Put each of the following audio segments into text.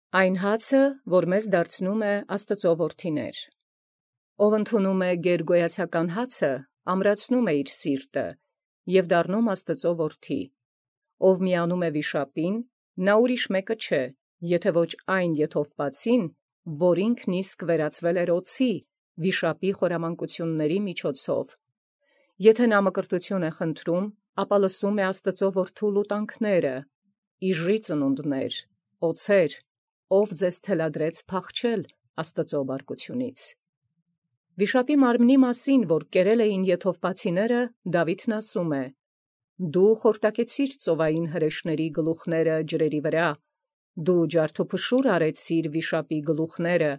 Այն հացը, որ մեզ դարձնում է Աստուծոյ որդիներ։ Ով ընդունում է գերգոյացական հացը, ամրացնում է իր սիրտը և դառնում Աստուծոյ որդի։ Ով միանում է վիշապին, նա ուրիշ մեկը չէ, եթե ոչ այն եթովպացին, որ ինքն իսկ վերածվել էր օձի, վիշապի խորամանկությունների միջոցով։ Եթե նա մկրտություն է խնդրում, ապա լսում է Աստուծոյ որդու լուտանքները. «Իժի ծնունդներ, օձեր, ով ձեզ թելադրեց փախչել Աստուծոյ բարկությունից»։ Վիշապի մարմնի մասին, որ կերել էին եթովպացիները, Դաւիթն ասում է. «Դու խորտակեցիր ծովային հրեշների գլուխները ջրերի վրա, դու ջարդուփշուր արեցիր վիշապի գլուխները,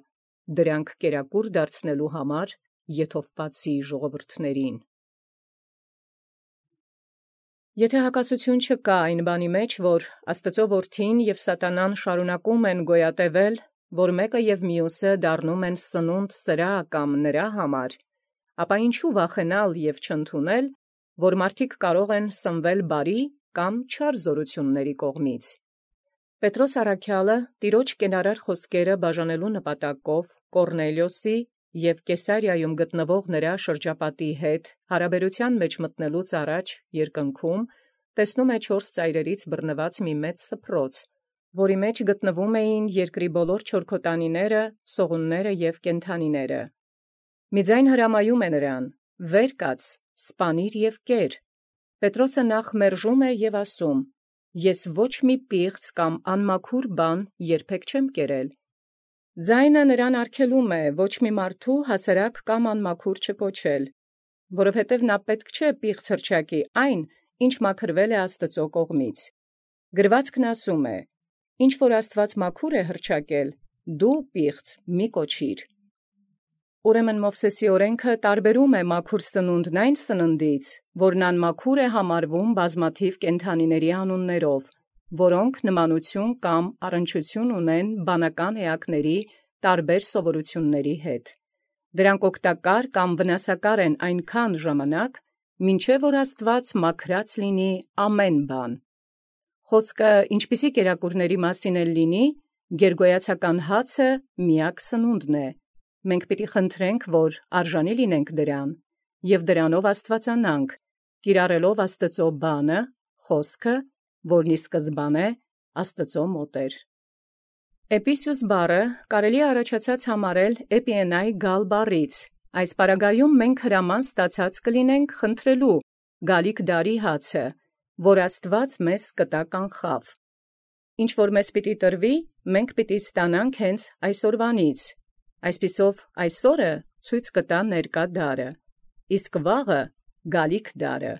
դրանք կերակուր դարձնելու համար եթովպացի ժողովուրդներին»։ Եթե հակասություն չկա այն բանի մեջ, որ Աստուծոյ որդին և սատանան շարունակում են գոյատևել, որ մեկը և մյուսը դառնում են սնունդ սրա կամ նրա համար, ապա յինչու վախենալ և չընդունել, որ մարդիկ կարող են սնվել բարի կամ չար զօրութիւնացն կողմից։ Պետրոս առաքեալը տիրոջ կենարար խոսքերը բաժանելու նպատակով Կոռնելիոսի և Կեսարիայում գտնվող նրա շրջապատի հետ հարաբերութեան մեջ մտնելուց առաջ երկնքում տեսնում է 4 ծայրերից բռնված մի մեծ սփռոց, որի մեջ գտնվում էին երկրի բոլոր չորքոտանիները, սողունները և կենդանիները։ Մի ձայն հրամայում է նրան. «Վեր կաց, սպանիր և կեր»։ Պետրոսը նախ մերժում է և ասում. «Ես ոչ մի պիղծ կամ անմաքուր բան երբեք չեմ կերել»։ Ձայնը նրան արգելում է ոչ մի մարդու հասարակ կամ անմաքուր չկոչել, որովհետև նա պետք չէ պիղծ հռչակի այն, ինչ մաքրվել է Աստուծոյ կողմից։ Գրուածքն ասում է. «Ինչ որ Աստուած մաքուր է հռչակել, դու պիղծ մի կոչիր»։ Ուրեմն Մովսէսի օրենքը տարբերում է մաքուր սնունդն այն սննդից, որն անմաքուր է համարվում բազմաթիվ կենդանիների անուններով, որոնք նմանություն կամ առնչություն ունեն բանական էակների տարբեր սովորութիւնների հետ։ Դրանք օգտակար կամ վնասակար են այնքան ժամանակ, մինչև որ Աստուած մաքրած լինի ամեն բան։ Խոսքը ինչպիսի կերակուրների մասին էլ լինի, գերգոյացական հացը միակ սնունդն է։ Մենք պիտի խնդրենք, որ արժանի լինենք դրան, և դրանով աստուածանանք, կիրառելով Աստուծոյ բանը, խոսքը, որն ի սկզբանե Աստուծոյ մոտ էր։ Էպիսիուս բառը կարելի է առաջացած համարել էպիենայ գալ բառից։ Այս պարագայում մենք հրաման ստացած կլինենք խնդրելու գալիք դարի հացը, որ Աստուած մեզ կտա կանխաւ։ Ինչ որ մեզ պիտի տրվի, մենք պիտի ստանանք հենց այսօրվանից։ Այսպիսով այսօրը ցույց կտա ներկա դարը, իսկ վաղը գալիք դարը,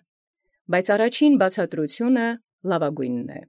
բայց առաջին բացատրությունը լավագույնն է։